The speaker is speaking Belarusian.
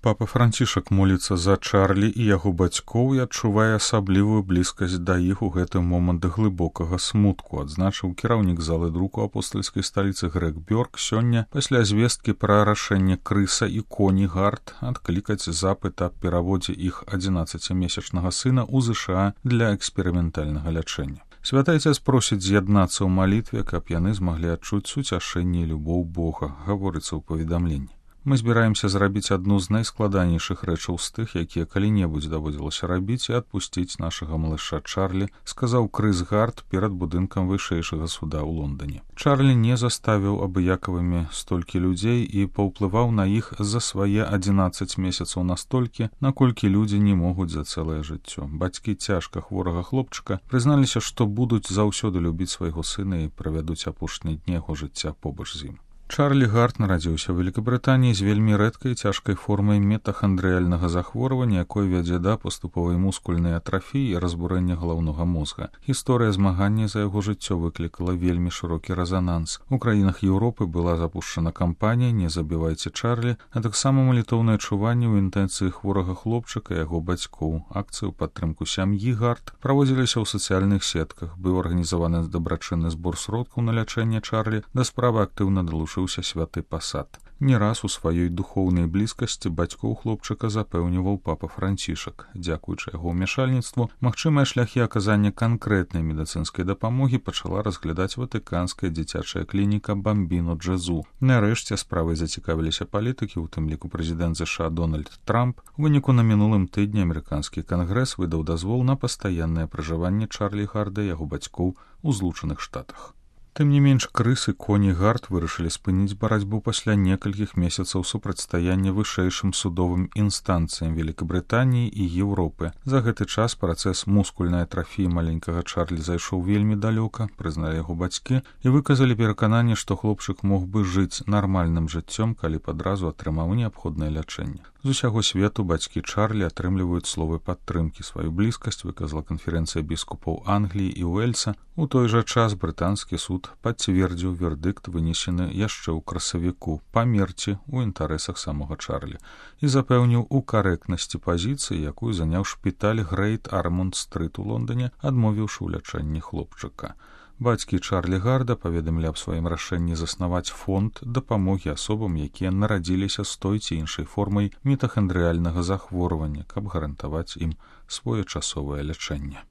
Папа Францішак моліцца за Чарлі і яго бацькоў і адчувае асаблівую блізкасць да іх у гэты момант глыбокага смутку, адзначыў кіраўнік залы друку апостальскай сталіцы Грег Бёрк сёння пасля звесткі пра рашэнне Крыса і Коні Гарт адклікаць запыт аб пераводзе іх 11-месячнага сына ў ЗША для эксперыментальнага лячэння. Святы Отец просіць з'яднацца ў малітве, каб яны змаглі адчуць суцяшэнне і любоў Бога, гаворыцца ў паведамленні. Мы збіраемся зрабіць адну з найскладанейшых рэчаў з тых, якія калі-небудзь даводзілася рабіць і адпусціць нашага малыша Чарлі, сказаў Крыс Гарт перад будынкам вышэйшага суда ў Лондоне. Чарлі не заставіў абыякавымі столькі людзей і паўплываў на іх за свае 11 месяцаў настолькі, наколькі людзі не могуць за цэлае жыццё. Бацькі цяжка хворага хлопчыка прызналіся, што будуць заўсёды любіць свайго сына і правядуць апошнія дні яго жыцця побач з ім. Чарлі Гарт нарадзіўся ў Вялікабрытаніі з вельмі рэдкай цяжкай формай метахандрыяльнага захворвання, якое вядзе да паступовай мускульнай атрафіі і разбурэння галаўнога мозга. Гісторыя змагання за яго жыццё выклікала вельмі шырокі рэзананс. У краінах Еўропы была запушчана кампанія «Не забівайце Чарлі», а таксама малітоўнае чуванне ў інтэнцыі хворага хлопчыка і яго бацькоў. Акцыі ў падтрымку сям'і Гарт праводзіліся ў сацыяльных сетках. Быў арганізаваны дабрачынны збор сродкаў на лячэнне Чарлі, да справы актыўна далучыўся святы Пасад. Не раз у сваёй духоўнай блізкасці бацькоў хлопчыка запэўніваў папа Францішак. Дзякуючы яго ўмяшальніцтву, магчымыя шляхі аказання канкрэтнай медыцынскай дапамогі пачала разглядаць ватыканская дзіцячая клініка Бамбіно Джезу. Нарэшце справай зацікавіліся палітыкі, у тым ліку прэзідэнт ЗША Дональд Трамп. У выніку на мінулым тыдні амерыканскі кангрэс выдаў дазвол на пастаяннае пражыванне Чарлі Гарда і яго бацькоў у Злучаных Штатах. Тым не менш, Крыс і Коні Гарт вырашылі спыніць барацьбу пасля некалькіх месяцаў супрацьстаяння вышэйшым судовым інстанцыям Вялікабрытаніі і Еўропы. За гэты час працэс мускульнай атрафіі маленькага Чарлі зайшоў вельмі далёка, прызналі яго бацькі і выказалі перакананне, што хлопчык мог бы жыць нармальным жыццём, калі б адразу атрымаў неабходнае лячэнне. З усяго свету бацькі Чарлі атрымліваюць словы падтрымкі. Сваю блізкасць выказала канферэнцыя біскупаў Англіі і Уэльса. У той жа час брытанскі суд пацвердзіў вердыкт, вынесены яшчэ ў красавіку, памерці ў інтарэсах самога Чарлі і запэўніў у карэктнасці пазіцыі, якую заняў шпіталь Грэйт Армонд-стрыт у Лондоне, адмовіўшы ў лячэнні хлопчыка. Бацькі Чарлі Гарда паведамілі аб сваім рашэнні заснаваць фонд дапамогі асобам, якія нарадзіліся з той ці іншай формай метахандрыяльнага захворвання, каб гарантаваць ім своечасовае лячэнне.